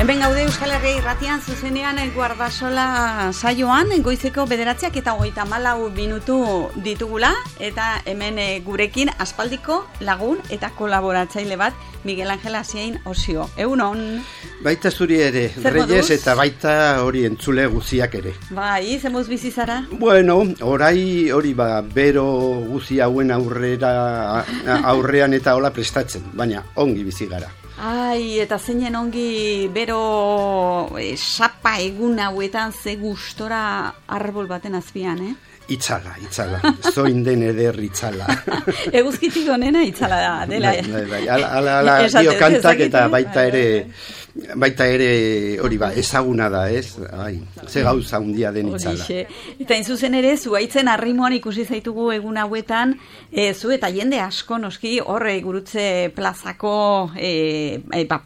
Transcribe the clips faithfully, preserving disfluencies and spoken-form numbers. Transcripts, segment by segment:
Hemen gaude Euskal Herria irratian zuzenean Guardasola saioan, goizeko bederatziak eta hogeita hamalau minutu ditugula, eta hemen gurekin aspaldiko lagun eta kolaboratzaile bat, Miguel Angel Asiain Osio. Egunon? Baita zuri ere, Reyes, eta baita hori entzule guziak ere. Bai, zemuz bizi zara? Bueno, orai hori ba, bero guzi hauen aurrera, aurrean eta hola prestatzen, baina ongi bizi gara. Ai, eta zeinen ongi bero e, sapa egun hauetan ze gustora arbol baten azpian, eh? Itzala, itzala, zoin den eder itzala. Eguzkitik onena itzala da, dela. Bai, bai, bai, ala, ala, ala dio kantak eta baita ere, baita ere hori ba, ezaguna da, ez? Ai, ze gauza hundia den itzala. Eta inzuzen ere, zuaitzen arrimoan ikusi zaitugu egun hauetan, e, zu eta jende asko noski horre gurutze plazako e, e, ba,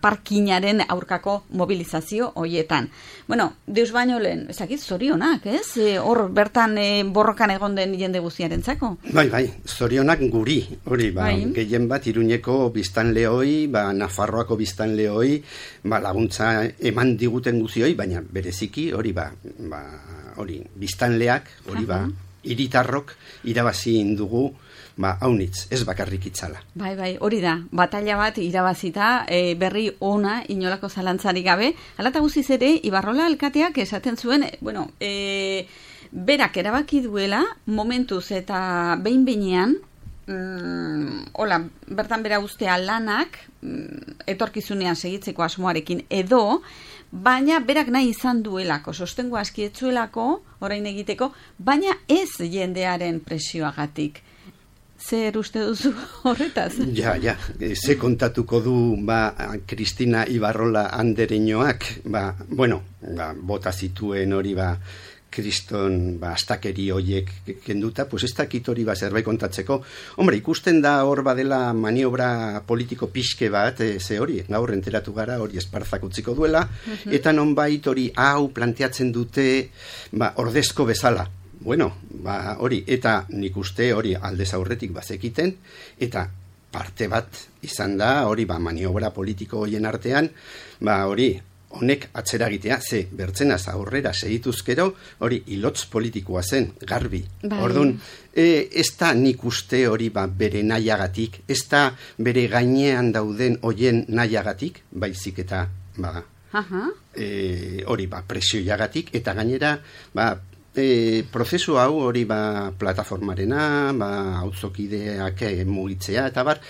parkinaren aurkako mobilizazio hoietan. Bueno, deus baino lehen, ezakit zorionak, ez? E, hor bertan e, borrokan egon den jende guztiarentzako. Bai, bai, zorionak guri, hori, ba, bai. Gehien bat Iruñeko biztanleoi, ba, Nafarroako biztanleoi, ba, laguntza eman diguten guzioi, baina bereziki, hori, ba, ba hori, biztanleak, hori, ba, hiritarrok irabazi indugu, ba, haunitz, ez bakarrik itzala. Bai, bai, hori da, batalla bat irabazita, e, berri ona, inolako zalantzarik gabe, alata guziz ere, Ibarrola alkateak esaten zuen, bueno, e, berak erabaki duela, momentuz eta behin-behinean, mm, hola, bertan bera ustea lanak, mm, etorkizunean segitzeko asmoarekin edo, baina berak nahi izan duelako, sostengo askietzuelako, orain egiteko, baina ez jendearen presioagatik. Zer uste duzu horretaz? Ja, ja, ze kontatuko du ba, Kristina Ibarrola andereñoak, ba, bueno, ba, bota zituen hori ba, kriston ba, astakeri hoiek kenduta, pues ez dakit hori ba, zerbait kontatzeko. Hombre, ikusten da hor badela maniobra politiko pixke bat, e, ze hori, gaur enteratu gara, hori esparzak utziko duela, uh-huh. Eta nonbait hori hau planteatzen dute ba, ordezko bezala. Bueno, ba, hori, eta nik uste hori aldez aurretik bazekiten, eta parte bat izan da, hori, ba, maniobra politiko hoien artean, ba, hori, honek atzeragitea, ze, bertzenaz aurrera segituzkero, hori, ilotz politikoa zen, garbi. Bai. Orduan, e, ez da nik uste hori, ba, bere nahiagatik, ez da bere gainean dauden hoien nahiagatik, baizik eta, ba, uh-huh. e, hori, ba, presioiagatik, eta gainera, ba, E, prozesu hau hori ba, plataformarena, ba, auzokideak mugitzea, eta bar,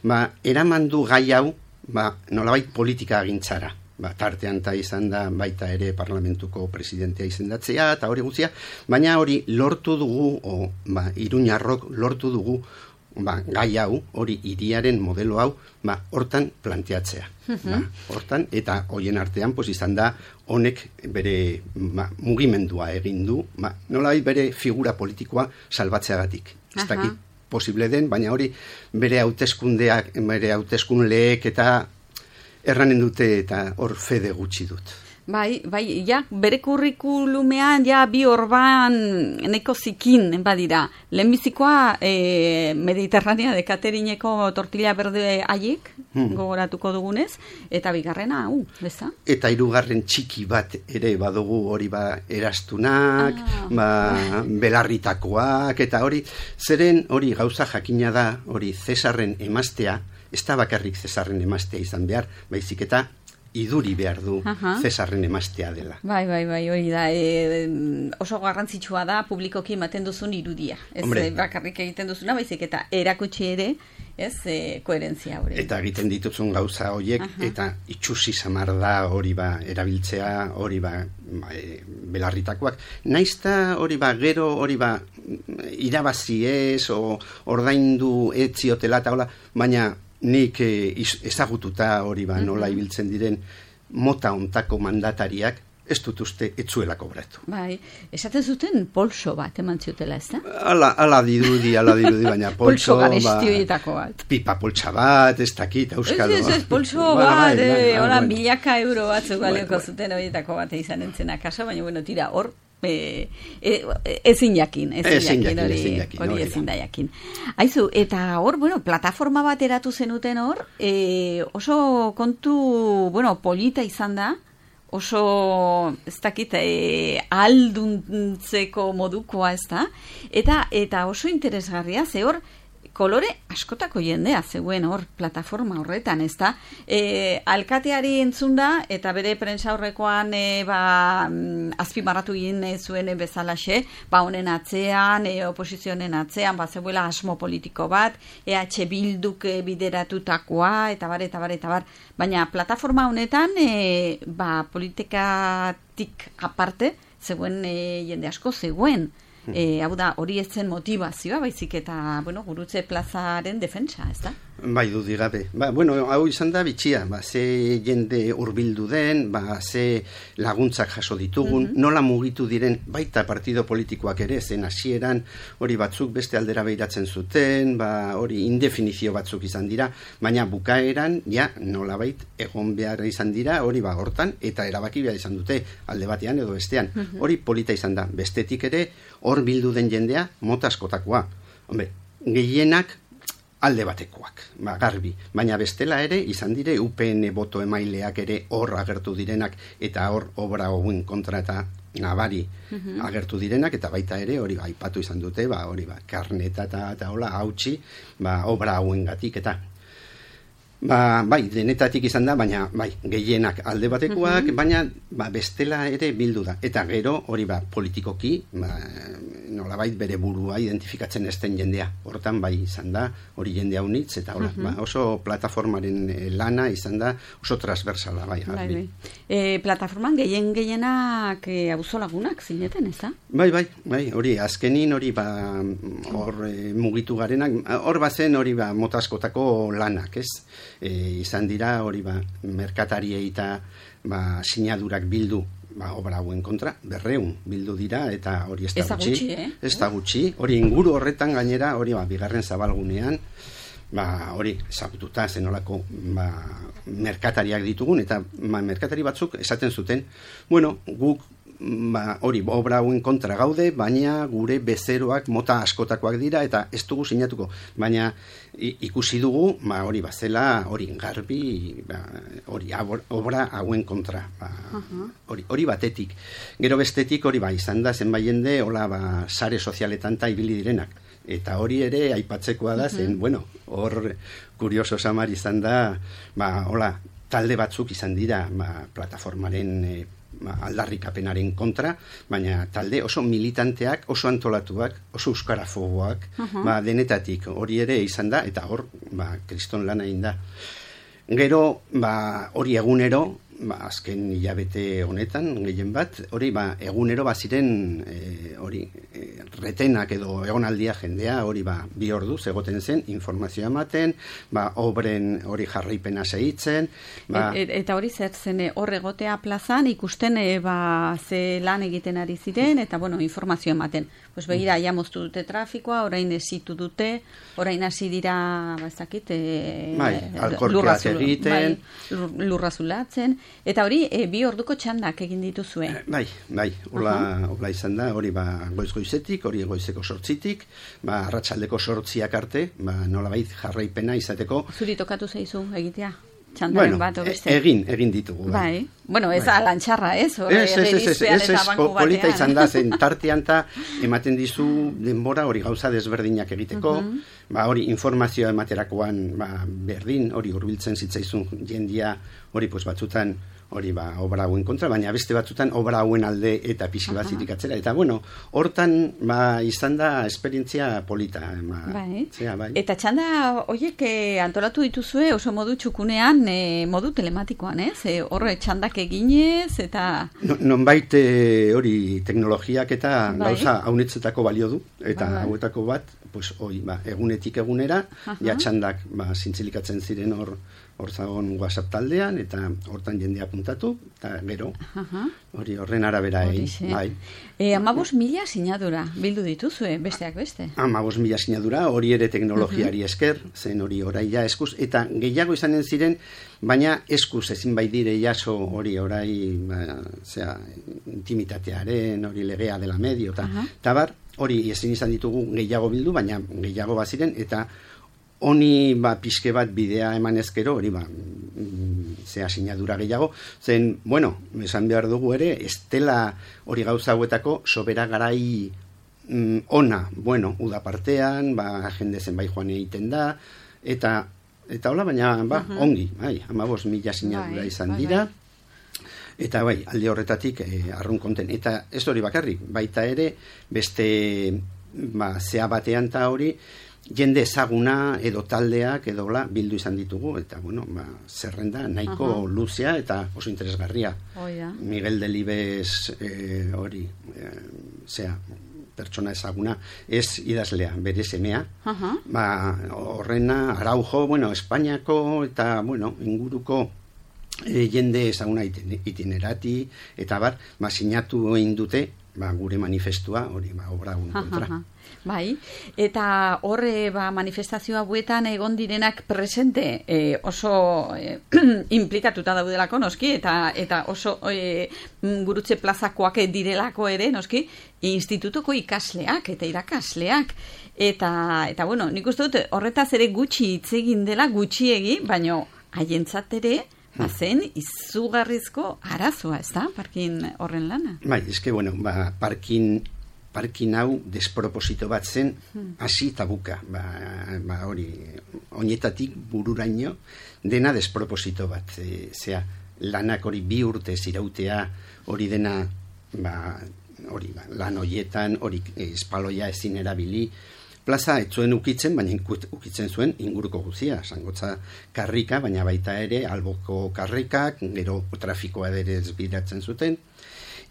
ba, eraman du gai hau ba, nolabait politika agintzara. Ba, tartean ta izan da baita ere parlamentuko presidentea izendatzea, eta hori guztia, baina hori lortu dugu, o, ba, Iruñarrok lortu dugu, ba, gai hau, hori hiriaren modelo hau, ba, hortan planteatzea. Uh-huh. Ba, hortan, eta hoien artean, pues, izan da, honek bere ba, mugimendua egin du, ba, nolabait bere figura politikoa salbatzeagatik. Ez uh-huh. dakit posible den, baina hori bere hauteskundeak, bere hauteskunleek eta erranen dute eta hor fede gutxi dut. Bai, bai, ja, bere kurrikulumean ja bi orban neko zikin badira. Lehenbizikoa e, Mediterranea de Katerineko tortilla berde haiek, hmm. gogoratuko dugunez, eta bigarrena, hau, uh, beza? Eta hirugarren txiki bat ere badugu hori ba erastunak, ah. ba, belarritakoak, eta hori, zeren hori gauza jakina da, hori Cesarren emaztea, ez da bakarrik Cesarren emaztea izan behar, baizik eta iduri behar du uh-huh. Cesarren emaztea dela. Bai, bai, bai, hori da. E, oso garrantzitsua da publikoki ematen duzun irudia. Ez e, bakarrik egiten duzuna, baizik eta erakutsi ere, ez, e, koherentzia hori. Eta egiten dituzun gauza horiek, uh-huh. eta itxusi samar da hori ba, erabiltzea, hori ba, e, belarritakoak. Naizta hori ba, gero hori ba, irabazi ez, o ordaindu etziotela eta hola, baina nik eh, ezagututa hori ba, nola ibiltzen diren mota ontako mandatariak, ez dut uste etzuela kobratu. Bai, esaten zuten polso bat eman ziotela, ez da? Ala, ala dirudi, ala dirudi, baina polso, polso garestioietako ba, bat. Pipa poltsa bat, ez dakit, euskalo. Ez, ez, ez, polso ba, bat, bai, bai, bai, milaka euro batzuk balioko zuten horietako bat izan entzena kaso, baina bueno, tira, hor, e, e, ezin jakin, ezin jakin, hori, hori ezin da jakin. Aizu, eta hor, bueno, plataforma bat eratu zenuten hor, e, oso kontu, bueno, polita izan da, oso, ez dakit, e, alduntzeko modukoa, ez da, eta, eta oso interesgarria, ze hor, kolore askotako jendea zegoen hor plataforma horretan, ez da? E, alkateari entzunda, eta bere prentsa horrekoan e, ba, azpimarratu egin zuen bezalaxe, ba honen atzean, e, oposizionen atzean, ba zeuela asmo politiko bat, E H Bilduk bideratutakoa, eta bar, eta bar, eta bar. Baina plataforma honetan, e, ba politikatik aparte, zegoen e, jende asko zegoen. E, hau da, hori ez zen motivazioa, baizik eta, bueno, Gurutze plazaren defentsa, ez da? Bai, dudik gabe. Ba, bueno, hau izan da bitxia, ba, ze jende hurbildu den, ba, ze laguntzak jaso ditugun, mm-hmm. nola mugitu diren, baita partido politikoak ere, zen hasieran hori batzuk beste aldera behiratzen zuten, ba, hori indefinizio batzuk izan dira, baina bukaeran, ja, nolabait egon behar izan dira, hori ba, hortan, eta erabaki behar izan dute, alde batean edo bestean. Mm-hmm. Hori polita izan da, bestetik ere, hor bildu den jendea, mota askotakoa. Hombre, gehienak alde batekoak, ba, garbi. Baina bestela ere, izan dire, U P N boto emaileak ere hor agertu direnak, eta hor obra hauen kontra eta nabari uh-huh. agertu direnak, eta baita ere, hori ba, aipatu izan dute, ba, hori ba, karneta eta, eta hola, hautsi, ba, obra hauen gatik, eta ba, bai, denetatik izan da, baina bai, gehienak alde batekoak, uh-huh. baina ba, bestela ere bildu da. Eta gero, hori ba, politikoki, ba, nolabait bere burua identifikatzen esten jendea. Hortan bai izan da, hori jendea unitz, eta hola, uh-huh. ba, oso plataformaren lana izan da, oso transversala, bai. bai, bai. E, plataforman gehien gehienak e, auzolagunak zineten, ez da? Bai, bai, bai, hori, azkenin hori ba, hor e, mugitu garenak, hor bazen hori ba, motaskotako lanak, ez? E, izan dira hori ba, merkatariei eta ba, sinadurak bildu ba, obra hauen kontra, berreun bildu dira, eta hori ez da gutxi, gutxi eh? ez da gutxi, hori inguru horretan gainera, hori ba, bigarren zabalgunean, ba, hori ezagututa zenolako ba, merkatariak ditugun, eta ba, merkatari batzuk esaten zuten, bueno, guk ba, hori obra hauen kontra gaude, baina gure bezeroak mota askotakoak dira, eta ez dugu sinatuko, baina ikusi dugu, ba, hori bazela, hori garbi, ba, hori obra hauen kontra, ba, uh-huh. hori, hori batetik. Gero bestetik hori ba, izan da, zenbait jende, hola, ba, sare sozialetan ta ibili direnak. Eta hori ere aipatzekoa da, zen, uh-huh. bueno, hor kurioso samar izan da, ba, hola, talde batzuk izan dira, ba, plataformaren e, aldarrikapenaren kontra, baina talde oso militanteak, oso antolatuak, oso euskarafoboak, uh-huh. ba, denetatik hori ere izan da, eta hor, ba, kriston lana egin da. Gero, ba, hori egunero, ba, azken hilabete honetan, gehien bat, hori ba, egunero baziren e, hori e, retenak edo egonaldia jendea, hori ba, bi orduz egoten zen, informazioa ematen, ba, obren hori jarraipena segitzen. Ba, et, et, eta hori zer zen hor egotea plazan, ikusten e, ba, ze lan egiten ari ziren, eta bueno, informazioa ematen. Pues begira, ja moztu dute trafikoa, orain esitu dute, orain hasi dira, ba, ez dakit, e, bai, alkorkeak egiten, bai, lurra zulatzen, eta hori, e, bi orduko txandak egin dituzue. Bai, bai, hola, uh-huh. hola izan da, hori ba, goiz-goizetik, hori goizeko sortzitik, ba, arratsaldeko sortziak arte, ba, nolabait jarraipena izateko. Zuri tokatu zaizu egitea? Txandaren bueno, bat, obeste. egin, egin ditugu. Bai, bueno, ez bai. Alantxarra, ez? Ez, ez, ez, ez, ez, ez, polita izan da, zen tartean ta ematen dizu denbora hori gauza desberdinak egiteko, uh-huh. ba, hori informazioa ematerakoan ba, berdin, hori hurbiltzen zitzaizun jendia, hori pues, batzutan, hori ba, obra hauen kontra, baina beste batzutan obra hauen alde eta pixi bat zitik atzera. Eta bueno, hortan ba, izan da esperientzia polita. Ba, bai. Zera, bai. Eta txanda horiek eh, antolatu dituzue oso modu txukunean, eh, modu telematikoan, ez? Eh, horre txandak eginez, eta... No, nonbait eh, hori teknologiak eta bai. Gauza haunetzetako balio du, eta bai. Hauetako bat pues, oi, ba, egunetik egunera, Aha. ja txandak ba, zintzilikatzen ziren hor hor zagon WhatsApp taldean, eta hortan jendea puntatu, eta gero, Aha. hori horren arabera egin. Horixe. Bai. E, amabos mila sinadura bildu dituzue, besteak beste. Amabos mila sinadura, hori ere teknologiari esker, zen hori orai ja eskuz, eta gehiago izanen ziren, baina eskuz ezin bai dire jaso hori orai, ba, zera, intimitatearen, hori legea dela medio, eta Aha. tabar, hori ezin izan ditugu gehiago bildu, baina gehiago baziren, eta honi ba, pixke bat bidea eman ezkero, hori ba, mm, zea sinadura gehiago, zen, bueno, esan behar dugu ere, estela hori gauza hauetako sobera garai mm, ona, bueno, uda partean, ba, jende zenbait joan egiten da, eta eta hola, baina, ba, Uh-huh. ongi, bai, amabos mila sinadura Bai, izan bai, dira, bai. eta bai, alde horretatik eh, arrun konten, eta ez hori bakarrik, baita ere, beste, ba, zea batean ta hori, jende ezaguna edo taldeak edo la, bildu izan ditugu, eta bueno, ba, zerrenda nahiko Aha. luzea eta oso interesgarria. Hoi da. Miguel Delibes eh, hori, eh, zea, pertsona ezaguna, ez idazlea, bere semea, Aha. ba, horrena, Araujo, bueno, Espainiako eta, bueno, inguruko e, jende ezaguna iten, itinerati, eta bar, ba, sinatu egin dute, ba, gure manifestua, hori, ba, obra un kontra. Aha. Bai, eta horre ba, manifestazio hauetan egon direnak presente e, oso e, implikatuta daudelako, noski, eta eta oso e, gurutze plazakoak direlako ere, noski, institutoko ikasleak eta irakasleak. Eta, eta bueno, nik uste dut horretaz ere gutxi hitz egin dela, gutxiegi, baino haientzat ere, bazen izugarrizko arazoa, ez da, parkin horren lana? Bai, eske, bueno, ba, parkin parkin hau desproposito bat zen, hasi eta buka, ba, ba hori, oinetatik bururaino, dena desproposito bat, e, zea, lanak hori bi urte zirautea, hori dena, ba, hori, ba, lan hoietan, hori espaloia ezin erabili, plaza ez zuen ukitzen, baina ukitzen zuen inguruko guzia, zangotza karrika, baina baita ere, alboko karrikak, gero trafikoa ere ezbideratzen zuten,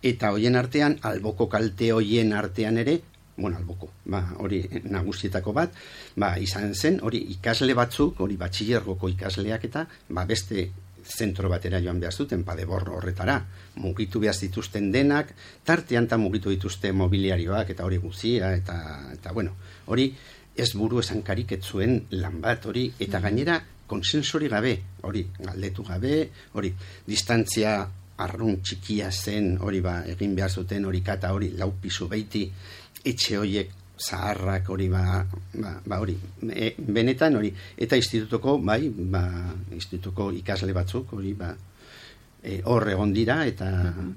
eta hoien artean, alboko kalte hoien artean ere, bueno, alboko, ba, hori nagusietako bat, ba, izan zen, hori ikasle batzuk, hori batxillergoko ikasleak eta, ba, beste zentro batera joan behar zuten, padebor horretara, mugitu behar zituzten denak, tartean ta mugitu dituzte mobiliarioak eta hori guzia, eta, eta bueno, hori ez buru esan kariketzuen lan bat, hori, eta gainera konsensori gabe, hori, galdetu gabe, hori, distantzia arrun txikia zen, hori ba, egin behar zuten, hori kata, hori, lau pisu beiti, etxe horiek zaharrak, hori ba, ba, ba hori, e, benetan, hori, eta institutuko, bai, ba, institutuko ikasle batzuk, hori, ba, e, hor egon dira, eta,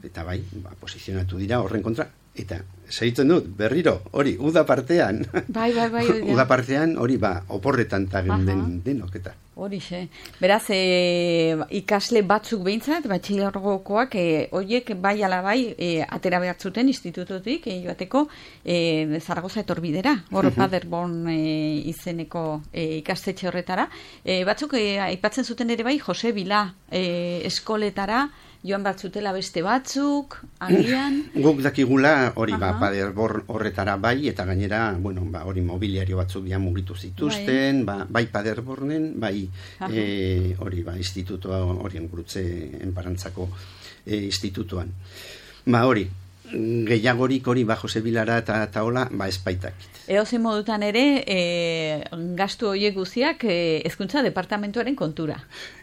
eta bai, ba, posizionatu dira horren kontra, eta, segitzen dut, berriro, hori, uda partean, Bai, bai, bai. uda partean, hori, ba, oporretan tagen den, denok, eta. Horixe. Beraz, e, ikasle batzuk behintzat, batxilergokoak, e, horiek bai ala bai, e, atera behar zuten institututik, e, joateko, e, Zaragoza etorbidera, hor uh-huh. Paderborn e, izeneko e, ikastetxe horretara. E, batzuk, e, aipatzen zuten ere bai, Jose Bila e, eskoletara, joan bat zutela beste batzuk, agian... Guk dakigula, hori, ba, Paderborn horretara bai, eta gainera, bueno, ba, hori mobiliario batzuk bian mugitu zituzten, bai, ba, bai Paderbornen, bai, e, hori, ba, institutoa, horien gurutze enparantzako e, institutuan. Ba, hori, gehiagorik hori, ba, Jose Bilara eta, eta hola, ba, espaitak. Eozen modutan ere, e, gastu horiek guziak e, hezkuntza departamentuaren kontura.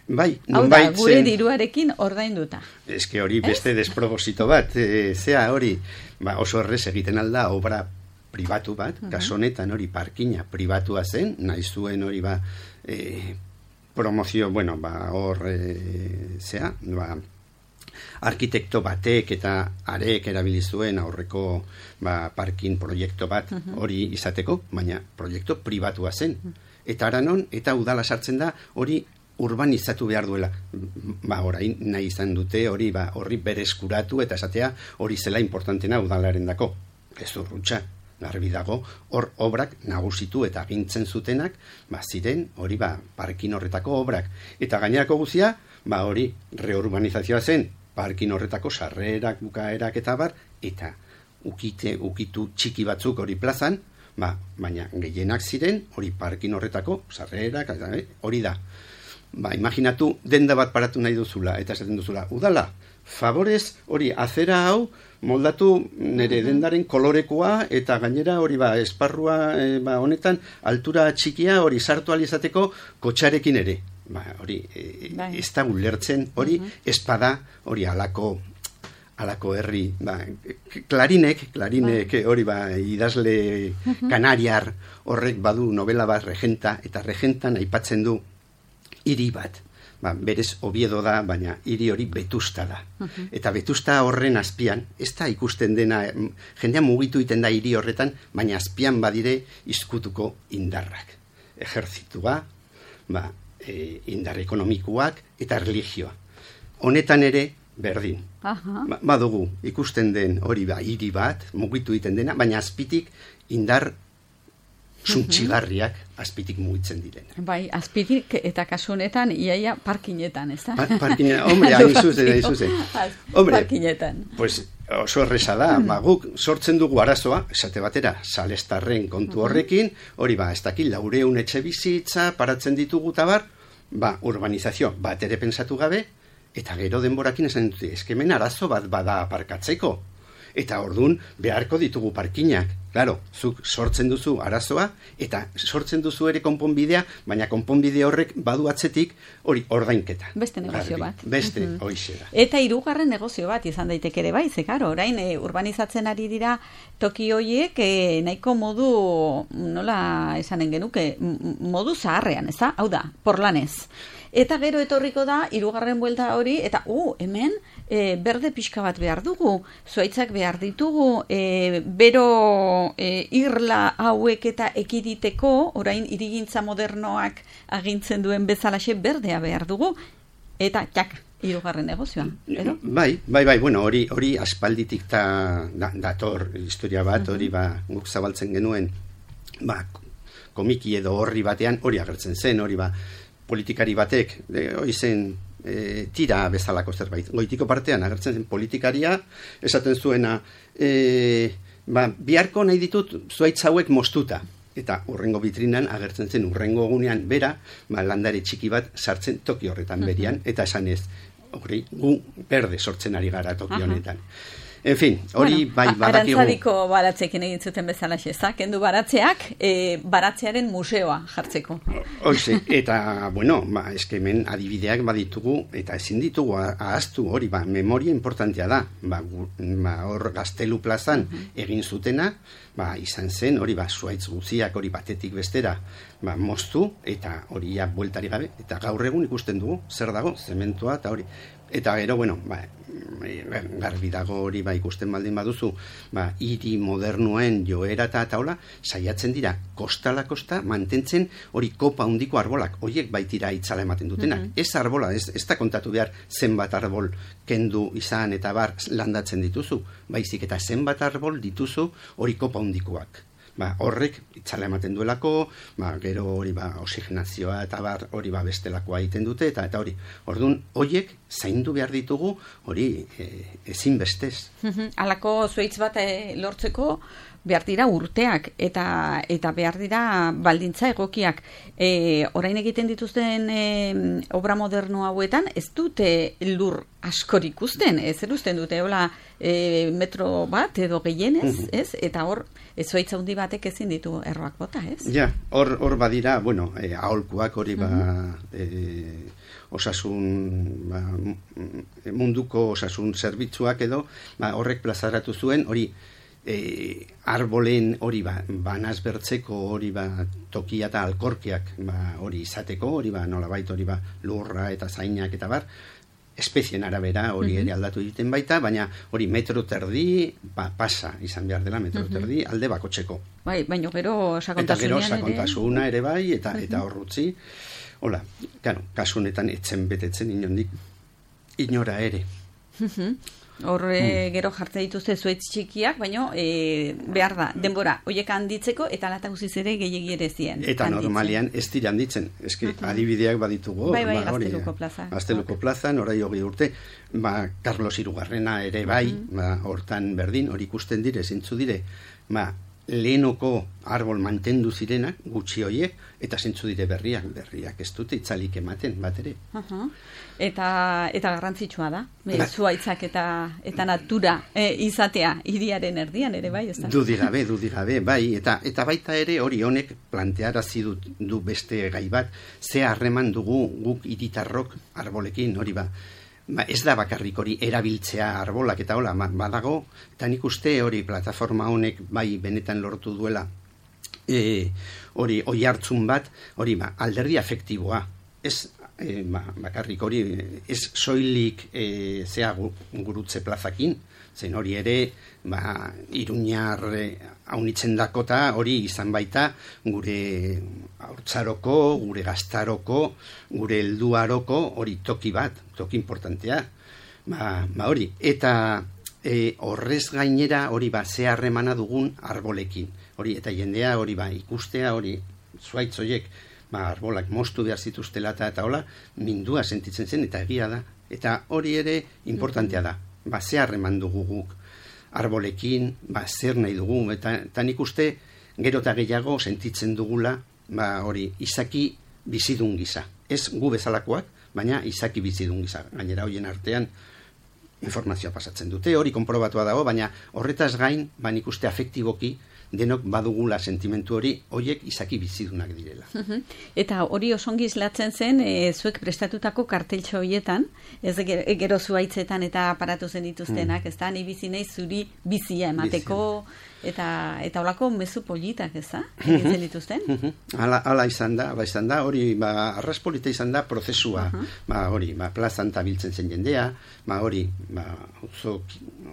Bai, hau da, bai, gure zen, diruarekin ordainduta. eske hori beste desproposito bat, e, zea hori, ba, oso errez egiten alda obra pribatu bat, uh-huh. kaso honetan hori parkina pribatua zen, nahi zuen hori ba, e, promozio, bueno, ba, hor, e, zea, ba, arkitekto batek eta arek erabili zuen aurreko ba, parkin proiektu bat hori uh-huh. izateko, baina proiektu pribatua zen. Uh-huh. Eta aranon, eta udala sartzen da, hori urbanizatu behar duela. Ba, orain nahi izan dute, hori ba, horri berezkuratu eta esatea hori zela importantena udalaren dako. Ez urrutxa, garbi dago, hor obrak nagusitu eta agintzen zutenak, ba, ziren hori ba, parkin horretako obrak. Eta gainerako guzia, ba, hori reurbanizazioa zen, parkin horretako sarrerak, bukaerak eta bar, eta ukite, ukitu txiki batzuk hori plazan, Ba, baina gehienak ziren, hori parkin horretako, sarrerak, hori da. Ba, imaginatu, denda bat paratu nahi duzula, eta esaten duzula, udala, favorez, hori, azera hau, moldatu nire dendaren kolorekoa, eta gainera hori ba, esparrua e, ba, honetan, altura txikia hori sartu alizateko kotxarekin ere. Ba, hori, e, ez da ulertzen, hori, uh-huh. espada, hori alako, alako herri, ba, klarinek, klarinek, hori ba, idazle kanariar horrek badu novela bat regenta, eta regentan aipatzen du hiri bat. Ba, berez Oviedo da, baina hiri hori Vetusta da. Uh-huh. Eta Vetusta horren azpian, ez da ikusten dena, jendea mugitu iten da hiri horretan, baina azpian badire izkutuko indarrak. Ejertzitua, ba, e, indar ekonomikoak eta religioa. Honetan ere, berdin. Uh-huh. Ba, badugu, ikusten den hori ba, hiri bat, mugitu iten dena, baina azpitik indar zuntxigarriak azpitik mugitzen diren. Bai, azpitik eta kasu honetan iaia parkinetan, ez da? Pa, parkinetan, hombre, hain zuzen, hain zuzen. Hombre, parkinetan. Pues oso erresa da, ba, guk sortzen dugu arazoa, esate batera, salestarren kontu horrekin, hori ba, ez dakil, laureun etxe bizitza, paratzen ditugu tabar, ba, urbanizazio bat ere pensatu gabe, eta gero denborakin esan dute, eskemen arazo bat bada aparkatzeko. Eta ordun beharko ditugu parkinak. Claro, zuk sortzen duzu arazoa, eta sortzen duzu ere konponbidea, baina konponbide horrek badu atzetik hori ordainketa. Beste negozio bat. Beste, uh-huh. hoixe da. Eta hirugarren negozio bat izan daiteke ere bai, ze karo, orain e, urbanizatzen ari dira toki hoiek e, nahiko modu, nola esanen genuke, modu zaharrean, ez da? Hau da, porlanez. Eta gero etorriko da, hirugarren buelta hori, eta uh, hemen e, berde pixka bat behar dugu, zuaitzak behar ditugu, e, bero e, irla hauek eta ekiditeko, orain hirigintza modernoak agintzen duen bezalaxe berdea behar dugu, eta txak, hirugarren negozioa. Edo? Bai, bai, bai, bueno, hori, hori aspalditik ta, da, dator historia bat, hori ba, guk zabaltzen genuen, ba, komiki edo horri batean, hori agertzen zen, hori ba, politikari batek, hori zen e, tira bezalako zerbait. Goitiko partean agertzen zen politikaria, esaten zuena, e, ba, biharko nahi ditut zuaitz hauek moztuta. Eta urrengo bitrinan agertzen zen urrengo egunean bera, ba, landare txiki bat sartzen toki horretan berian, eta esan ez, hori, gu berde sortzen ari gara toki honetan. En fin, hori bueno, bai badakigu. Arantzadiko baratzekin egin zuten bezala xeza, kendu baratzeak, e, baratzearen museoa jartzeko. Hoxe, eta, bueno, ba, eskemen adibideak baditugu, eta ezin ditugu ahaztu hori, ba, memoria importantea da, ba, ba hor Gaztelu plazan uh-huh. egin zutena, ba, izan zen, hori, ba, zuaitz guziak hori batetik bestera, ba, moztu, eta hori ja bueltari gabe, eta gaur egun ikusten dugu, zer dago, zementua, eta hori, eta gero, bueno, ba, garbi dago hori ba ikusten baldin baduzu, ba hiri modernuen joera eta taula saiatzen dira kostala kosta mantentzen hori kopa handiko arbolak, hoiek baitira itzala ematen dutenak. Mm-hmm. Ez arbola, ez, ez da kontatu behar zenbat arbol kendu izan eta bar landatzen dituzu, baizik eta zenbat arbol dituzu hori kopa handikoak. Ba, horrek itzala ematen duelako, ba, gero hori ba, oxigenazioa eta bar hori ba, bestelakoa egiten dute, eta eta hori, orduan, horiek zaindu behar ditugu, hori e, ezin bestez. Halako zuaitz bat e, lortzeko behar dira urteak, eta eta behar dira baldintza egokiak. E, orain egiten dituzten e, obra moderno hauetan, ez dute lur askor ikusten, ez erusten dute, hola, e, metro bat edo gehienez, ez? Eta hor, ez zuaitz handi batek ezin ditu erroak bota, ez? Ja, hor, hor badira, bueno, e, aholkuak hori ba, e, osasun, ba, munduko osasun zerbitzuak edo, ba, horrek plazaratu zuen, hori, E, arbolen hori ba, banaz bertzeko hori ba, tokia eta alkorkiak ba, hori izateko, hori ba, nolabait hori ba, lurra eta zainak eta bar, espezien arabera hori ere aldatu egiten baita, baina hori metro terdi ba, pasa izan behar dela metro terdi alde bakotxeko. Bai, baina gero sakontasunean ere. Eta gero sakontasuna ere bai, eta, eta horrutzi. Hola, claro, kasu honetan etzen betetzen inondik, inora ere. Hor mm. gero jartzen dituzte zuaitz txikiak, baina e, behar da, denbora, hoiek handitzeko eta lata guziz ere gehiegi ere zien. Eta handitzen. Normalian ez dira handitzen, eski uh-huh. adibideak baditugu. Bai, bai, ba, Gazteluko plaza. Gazteluko plazan, orai hogei urte, ba, Carlos Hirugarrena ere bai, uh-huh. ba, hortan berdin, hori ikusten dire, zintzu dire, ba, lehenoko arbol mantendu zirenak, gutxi hoiek, eta zentzu dire berriak, berriak ez dute itzalik ematen, bat ere. Uh-huh. Eta, eta garrantzitsua da, ba, zuaitzak eta, eta natura e, izatea hiriaren erdian ere bai, ez da? Dudi gabe, dudi gabe, bai, eta, eta baita ere hori honek plantearazi du, du beste gai bat, ze harreman dugu guk hiritarrok arbolekin, hori ba, Ba, ez da bakarrik hori erabiltzea arbolak eta hola, badago, eta nik uste hori plataforma honek bai benetan lortu duela e, hori oi hartzun bat, hori ba, alderdi afektiboa, ez e, ba, bakarrik hori, ez soilik e, zea gurutze plazakin, zen hori ere, ba, Iruñar haunitzen dakota, hori izan baita, gure haurtzaroko, gure gaztaroko, gure helduaroko, hori toki bat, toki importantea, ba, ba hori, eta e, horrez gainera, hori ba, ze harremana dugun arbolekin, hori, eta jendea, hori ba, ikustea, hori, zuaitzoiek, ba, arbolak moztu behar zituztela eta hola, mindua sentitzen zen, eta egia da, eta hori ere importantea da, ba, ze harreman dugu guk arbolekin, ba, zer nahi dugu, eta, eta nik uste gero eta gehiago sentitzen dugula, ba, hori, izaki bizidun gisa. Ez gu bezalakoak, baina izaki bizidun gisa. Gainera hoien artean informazioa pasatzen dute, hori konprobatua dago, baina horretaz gain, ba, nik uste afektiboki, denok badugula sentimentu hori, hoiek izaki bizidunak direla. Eta hori osongi islatzen zen, e, zuek prestatutako karteltxo horietan, ez gero zuaitzetan eta aparatu zen dituztenak, mm. ez da, ni bizi nahi zuri bizia emateko, eta eta holako mezu politak, ez da, egitzen dituzten? Hala, hala izan da, ba izan da, hori, ba, arraspolita izan da prozesua, uh-huh. ba, hori, ba, plazan tabiltzen zen jendea, ba, hori, ba, auzo,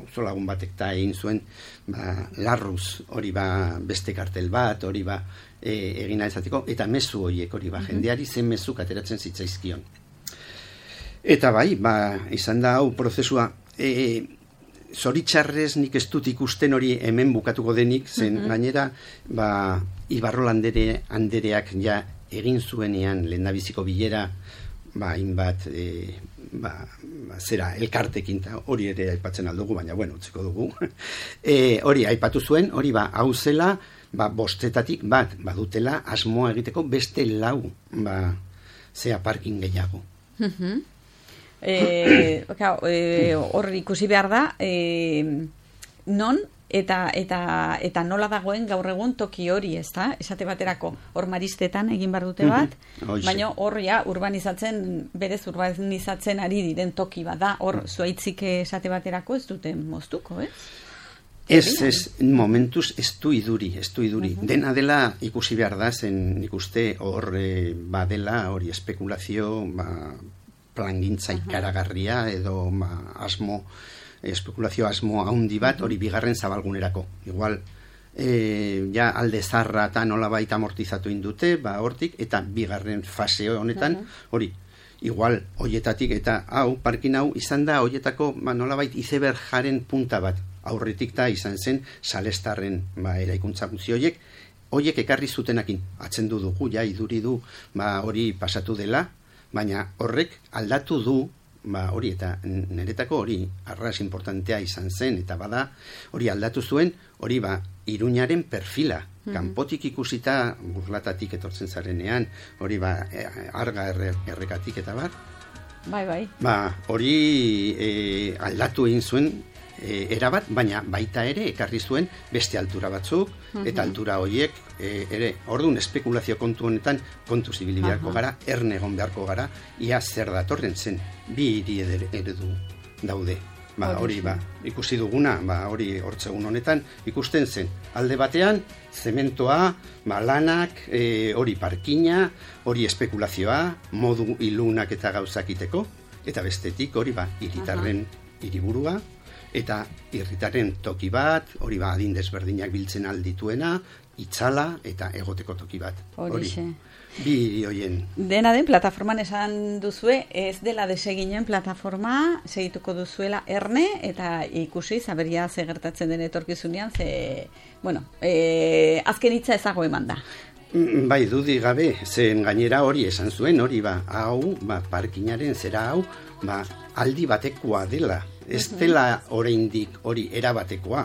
auzo lagun batek ta egin zuen, ba, larruz, hori, ba, beste kartel bat, hori, ba, e, egina ezateko, eta mezu horiek, hori, ba, uh-huh. jendeari zen mezuk ateratzen zitzaizkion. Eta bai, ba, izan da, hau prozesua, e, zoritxarrez nik ez dut ikusten hori hemen bukatuko denik, zen mm-hmm. gainera, ba, Ibarrol andere, andereak ja egin zuenean lehendabiziko bilera, ba, inbat, e, ba, ba, zera, elkartekin, hori ere aipatzen aldugu, baina, bueno, utziko dugu. e, hori, aipatu zuen, hori, ba, hau zela, ba, bostetatik bat, badutela, asmoa egiteko beste lau, ba, zea parking gehiago. Mm-hmm. Eh, eh, hor ikusi behar da eh, non eta, eta, eta nola dagoen gaur egun toki hori, ez da? Esate baterako hor maristetan egin behar dute bat, mm-hmm. baina hor ja urbanizatzen, berez urbanizatzen ari diren toki bat da, hor zuaitzik esate baterako ez duten moztuko, ez? Ez, ez, momentuz ez du iduri, ez du iduri. Uh-huh. Dena dela ikusi behar da, zen ikuste hor eh, badela, hori espekulazio, ba, plangintza ikaragarria edo ma, asmo, espekulazio asmo haundi bat, hori bigarren zabalgunerako. Igual, e, ja alde zarra eta nola baita amortizatu indute, ba, hortik, eta bigarren fase honetan, hori, igual, hoietatik, eta hau, parkin hau, izan da, hoietako, ba, nola bait, izeberjaren punta bat, aurretik da izan zen, salestarren, ba, eraikuntza guzti hoiek, hoiek ekarri zutenakin, atzendu dugu, ja, iduri du, ba, hori pasatu dela, baina horrek aldatu du, ba, hori eta niretako hori arras importantea izan zen, eta bada hori aldatu zuen, hori ba, Iruñaren perfila, mm-hmm. kanpotik ikusita burlatatik etortzen zarenean, hori ba, arga erre, errekatik eta bar. Bai, bai. Ba, hori e, aldatu egin zuen, e, erabat, baina baita ere ekarri zuen beste altura batzuk, mm-hmm. eta altura horiek e, ere, orduan espekulazio kontu honetan kontu zibili beharko gara, erne egon beharko gara, ia zer datorren zen, bi hiri eredu daude. Ba, hori, ba, ikusi duguna, ba, hori hortzegun honetan, ikusten zen, alde batean, zementoa, ba, lanak, e, hori parkina, hori espekulazioa, modu ilunak eta gauzakiteko, eta bestetik, hori, ba, hiritarren hiriburua, eta irritaren toki bat, hori ba, adin desberdinak biltzen aldituena, itzala eta egoteko toki bat. Hori, bi hoien. Dena den, plataforman esan duzue, ez dela deseginen plataforma, segituko duzuela erne, eta ikusi, zaberia ze gertatzen den etorkizunean, ze, bueno, e, azken hitza ezago eman da. Bai, dudi gabe, zen gainera hori esan zuen, hori ba, hau, ba, parkinaren zera hau, ba, aldi batekoa dela. Ez dela oraindik hori erabatekoa.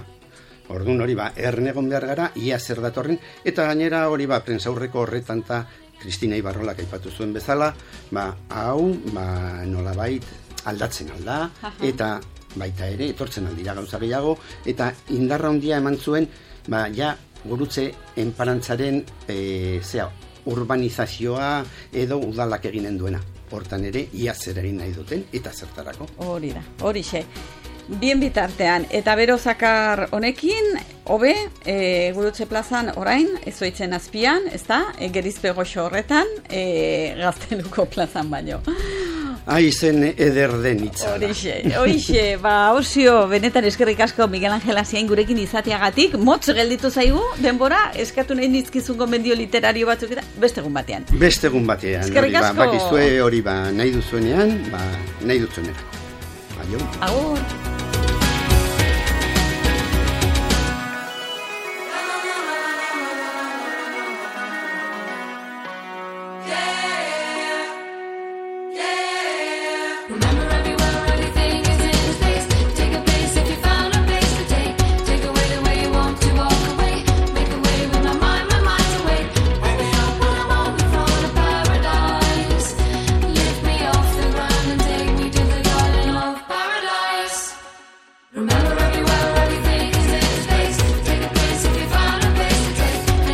Orduan hori ba, ernegon behar gara, ia zer datorren, eta gainera hori ba, prensaurreko horretan ta Kristina Ibarrolak aipatu zuen bezala, ba, hau, ba, nolabait aldatzen alda, eta baita ere, etortzen aldira gauza gehiago, eta indarra handia eman zuen, ba, ja, gurutze enparantzaren, e, zea, urbanizazioa edo udalak eginen duena. Hortan ere, ia zer egin nahi duten, eta zertarako. Hori da, hori xe. Bien bitartean, eta bero zakar honekin, hobe, e, Gurutze plazan orain, ezoitzen azpian, ez da, e, gerizpe goxo horretan, e, Gazteluko plazan baino. Aizen eder den itzala. Horixe, horixe, ba, osio, benetan eskerrik asko Miguel Angel Asiain gurekin izateagatik, motz gelditu zaigu, denbora, eskatu nahi nizkizun gomendio literario batzuk eta beste egun batean. Beste egun batean, eskerrik hori, asko. Ba, bakizue hori ba, nahi duzuenean, ba, nahi duzuenerako. Aio. Agur. Yeah.